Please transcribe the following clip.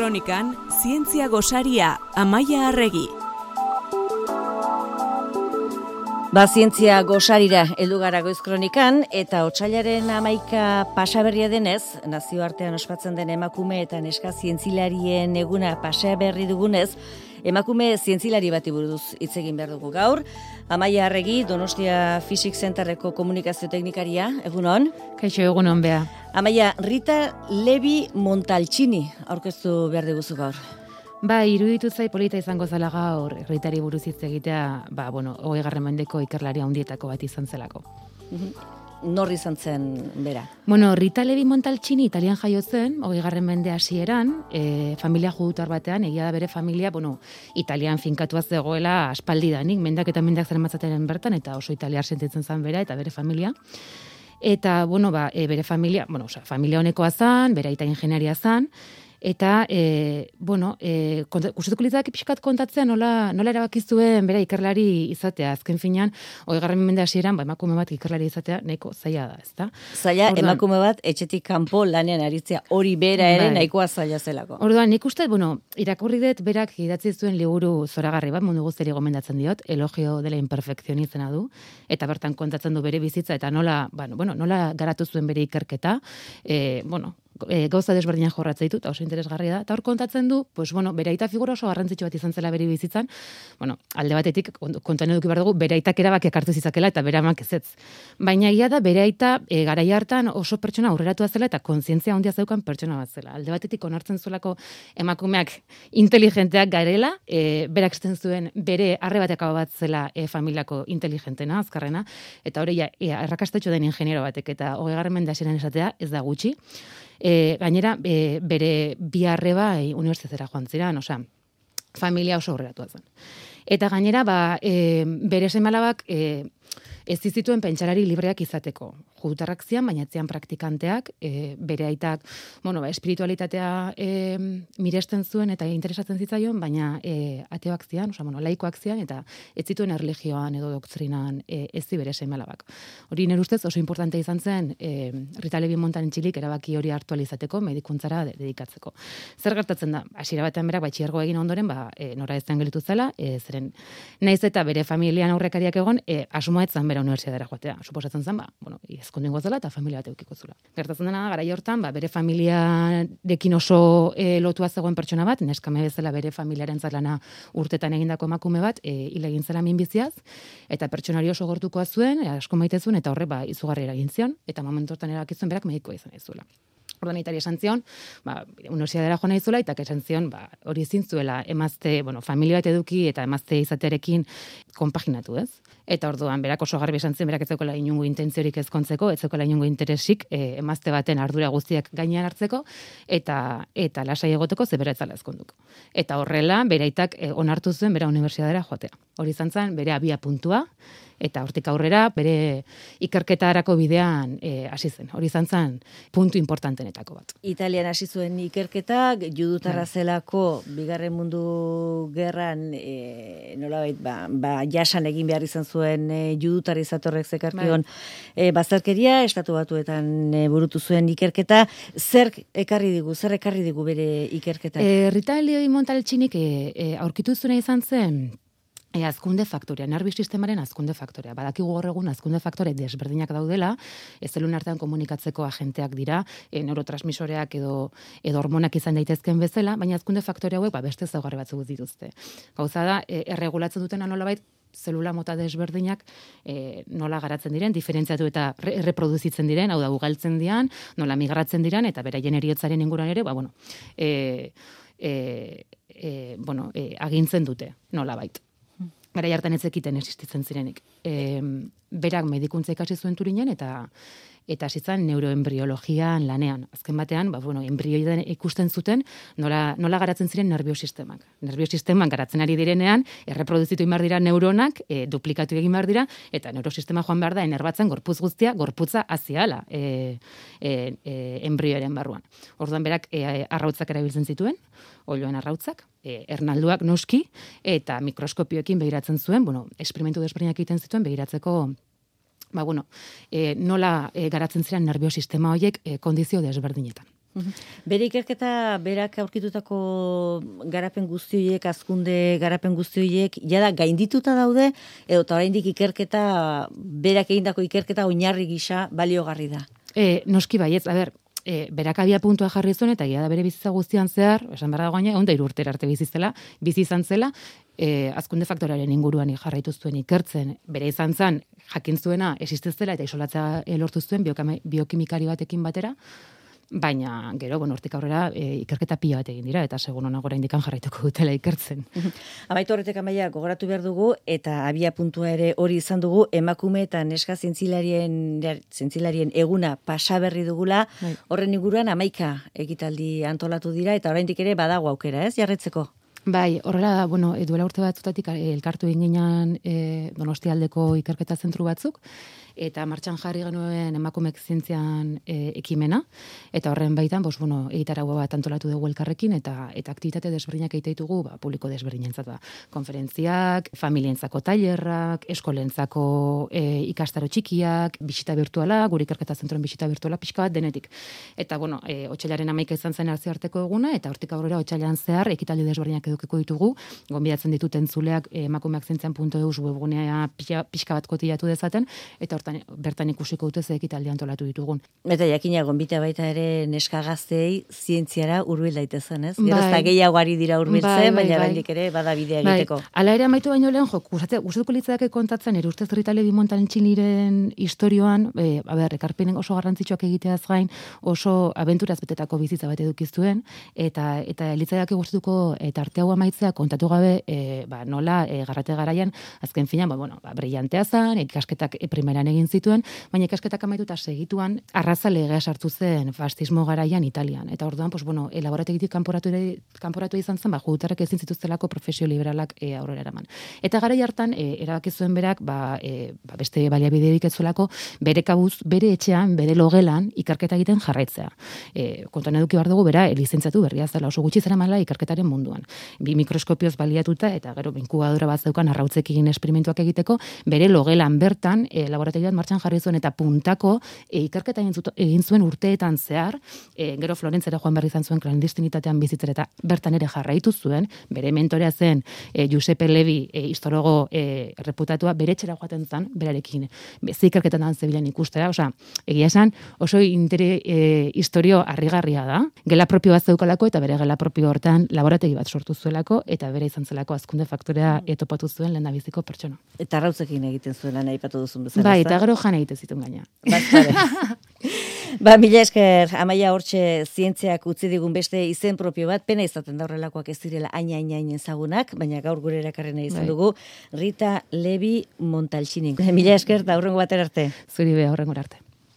Kronikan, zientzia gosaria, Amaia Arregi. Zientzia gosarira heldu gara Goiz Kronikan, eta otsailaren 11 pasaberria denez, nazioartean ospatzen den emakume eta neska zientzilarien eguna pasaberri dugunez, emakume zientzilari bati buruz hitz egin behar dugu gaur. Amaia Arregi, Donostia Physics Centerreko komunikazio teknikaria, egunon? Kaixo, egunon, bea. Amaia, Rita Levi Montalcini aurkeztu behar diguzu gaur. Iruditu zai polita izango zela gaur, Ritari buruz hitz egitea, 20. mendeko ikerlari handietako bat izan zelako. Nor izan zen bera? Rita Levi Montalcini italian jaio zen, 20. mende hasieran, familia judutar batean, egia da bere familia, italian finkatua zegoela aspaldidanik, mendak eta mendak zeramatzateren bertan, eta oso italiar sentitzen zen bera, eta bere familia. Eta, bere familia, familia honekoa zan, bere aita ingenieria zan, eta, gustatuko litzake pixkat kontatzea nola erabakizuen bera ikerlari izatea. Azken finean, 20. mende hasieran, emakume bat ikerlari izatea nahiko zaila da, ezta? Zaila, emakume bat etxetik kanpo lanean aritzea, hori bera ere nahikoa zaila zelako. Orduan, nik uste, irakurri dut berak idatzi zuen liburu zoragarri bat, mundu guztiari gomendatzen diot, Elogio de la Imperfección izena du, eta bertan kontatzen du bere bizitza, eta nola garatu zuen bere ikerketa, gauza desberdinak jorratzen ditu, eta oso interesgarria da. Eta hor kontatzen du, bere aita figura oso garrantzitsu bat izan zela bere bizitzan, alde batetik kontuan eduki behar dugu, bere aitak erabakiak hartu zizakela eta bere amak ezetz. Baina egia da, bere aita garai hartan oso pertsona aurreratua zela eta kontzientzia handia zeukan pertsona bat zela. Alde batetik onartzen zuelako emakumeak inteligenteak garela, berak esaten zuen bere arrebatek bat zela familiako inteligentena, azkarrena, eta hori errakastatxo den ingeniero batek, eta 20. mende hasieran esatea ez da gutxi. Gainera, bere bi arreba unibertsitatera joan ziren, familia oso aurreratua zen. Eta gainera, bere seme-alabak ez zituen pentsalari libreak izateko. Judutarrak zian, baina etzian praktikanteak, bere aitak, espiritualitatea miresten zuen eta interesatzen zitzaion, baina ateoak zian, laikoak zian, eta ez zituen erlijioan edo doktrinan ez zi bere seme-alabak. Hori nire ustez oso importante izan zen Rita Levi Montalcinik erabaki hori hartu alizateko, medikuntzara dedikatzeko. Zer gertatzen da? Hasiera batean berak batxilergoa egin ondoren, nora ez gelitu zela, zeren naiz eta bere familian aurrekariak egon, asmoa etzan bera unibertsitatera joatea. Suposatzen zen, ezkondingo zela eta familia bat eukiko zula. Gertatzen dena, garai hortan, bere familiarekin oso lotua zegoen pertsona bat, neskame bezala bere familiaren lana urtetan egindako emakume bat, hil egin zela minbiziaz, eta pertsonari oso gortukoa zuen, asko maite zuen, eta horre izugarri eragin zion, eta momentu hortan erabakizuen berak medikoa izan zuela. Orduan itari esan zion, unibertsitatera joan nahi zuela, eta esan zion, hori ezin zuela emazte, familia bat eduki eta emazte izatearekin konpaginatu, ez? Eta orduan, berak oso garbi esan zen, berak ez zeukela inungo intentziorik ezkontzeko, ez zeukela inungo interesik emazte baten ardura guztiak gainean hartzeko, eta lasai egoteko ze bera etzala ezkonduko. Eta horrela, bere aitak onartu zuen bera unibertsitatera joatea. Hori izan zen, bere abia puntua, eta hortik aurrera bere ikerketarako bidean hasi zen. Hori izan zen puntu importantenetako bat. Italian hasi zuen ikerketak, judutarra zelako Bigarren Mundu Gerran nolabait jasan egin behar izan zuen judutar izatorrek zekarkion bazterkeria, Estatu Batuetan burutu zuen ikerketa. Zer ekarri digu bere ikerketa? Rita Levi Montalcinik aurkitu zuena izan zen azkunde faktorea, nervio sistemaren azkunde faktorea. Badakigu gaur egun azkunde faktore desberdinak daudela, zelularen artean komunikatzeko agenteak dira, neurotransmisoreak edo hormonak izan daitezken bezala, baina azkunde faktore hauek beste ezaugarri batzuk dituzte. Gauza da, erregulatzen dutena nolabait zelula mota desberdinak nola garatzen diren, diferentziatu eta reproduzitzen diren, hau da, ugaltzen dian, nola migratzen diren, eta beraien heriotzaren inguruan ere, agintzen dute, nolabait. Garai hartan ez zekiten existitzen zirenik. Berak medikuntza ikasi zuen Turinen eta hasi zen neuroembriologian lanean. Azken batean, enbrioiden ikusten zuten nola garatzen ziren nerviosistemak. Nerviosistemak garatzen ari direnean, erreproduzitu behar dira neuronak, duplikatu egin behar dira, eta neurosistema joan behar da, enerbatzen gorputz guztia, gorputza aziala embrioaren barruan. Orduan berak arrautzak erabiltzen zituen, oiloen arrautzak, ernalduak noski, eta mikroskopioekin begiratzen zuen, esperimentu desberdinak egiten zituen begiratzeko nola garatzen ziren nerviosistema horiek kondizio desberdinetan. Bere ikerketa, berak aurkitutako garapen guzti horiek, hazkunde garapen guzti horiek, jada gaindituta daude, edo eta oraindik ikerketa, berak egindako ikerketa oinarri gisa baliogarri da. Noski baietz, berak abia puntua jarri zuen, eta da bere bizitza guztian zehar, esan behar dagoen, 103 urtera arte bizi izan zela, hazkunde faktoraren inguruan jarraitu zuen ikertzen, bere izan zen, jakin zuena existezela eta isolatzea lortu zuen biokimikari batekin batera, baina gero, hortik aurrera ikerketa pila bat egin dira, eta segun honago oraindik jarraituko dutela ikertzen. Amaitu horretek Amaia, gogoratu behar dugu, eta abia puntua ere hori izan dugu, emakume eta neska zientzilarien eguna pasaberri dugula, horren inguruan 11 ekitaldi antolatu dira, eta oraindik ere badago aukera, ez, jarretzeko? Bai, horrela, duela urte batzutatik elkartu eginan Donostialdeko ikerketa zentru batzuk, eta martxan jarri genuen emakumeek zientzian ekimena, eta horren baitan, egitaragua bat antolatu dugu elkarrekin, eta aktibitate desberdinak egite ditugu, publiko desberdinentzat, konferentziak, familientzako tailerrak, eskolentzako ikastaro txikiak, bisita virtuala, gure ikerketa zentroen bisita virtuala pixka bat denetik. Eta, otsailaren 11 izan zen nazioarteko eguna, eta hortik aurrera otsailean zehar ekitaldi desberdinak edukiko ditugu, gonbidatzen ditut entzuleak emakumeakzientzian.eus webgunea pixka bat kotillatu dezaten, eta bertan ikusiko dute ze ekitaldi antolatu ditugun. Eta jakina gonbita baita ere neska gazteei zientziara hurbil daitezen, ez? Gero ez gehiago ari dira hurbiltzen, baina oraindik ere bada bidea egiteko. Hala ere amaitu baino lehen, gustatuko litzake kontatzen ere ustez Rita Levi Montalciniren istorioan, ekarpenen oso garrantzitsuak egiteaz gain, oso abenturaz betetako bizitza bat eduki zuen, eta litzaiake gustatuko arte hau amaitzea kontatu gabe, nola garrate garaian azken finean, brillantea zen, ikasketak primeran egin zituen, baina ikasketak amaituta segituan arraza legea sartu zen fascismo garaian Italian. Eta orduan, elaborategitik kanporatu izan zen, judutarrek ezin zituztelako profesio liberalak aurrera eraman. Eta garai hartan, erabaki zuen berak, beste baliabiderik ez zuelako, bere kabuz, bere etxean, bere logelan, ikerketa egiten jarraitzea. Kontuan eduki behar dugu, bera, lizentziatu berria zela, oso gutxi zeramala ikerketaren munduan. Bi mikroskopioz baliatuta, eta gero inkubadora bat zeukan arrautzekin esperimentuak egiteko, bere logelan bertan, laborategi bat martxan jarri zuen, eta puntako ikerketa egin zuen urteetan zehar, gero Florentzera joan berri izan zuen klandestinitatean bizitzera, eta bertan ere jarraitu zuen, bere mentorea zen Giuseppe Levi, histologo reputatua, bere etxera joaten zen, berarekin, ze ikerketan zebilen ikustera, egia esan, oso historio harrigarria da, gela propio bat zeukalako, eta bere gela propio hortan laborategi bat sortu zuelako, eta bere izan zelako hazkunde faktorea topatu zuen lehendabiziko pertsona. Eta arrautzekin egiten zuen lan aipatu duzun bezala. Bai, eta gero jan egiten zituen gaina. Mila esker, Amaia, hortxe zientziak utzi digun beste izen propio bat, pena izaten da horrelakoak ez direla hain ezagunak, baina gaur gure erakarrena izan dugu, Rita Levi Montalcini. Mila esker, da hurrengo batera arte. Zuri be, hurrengo arte.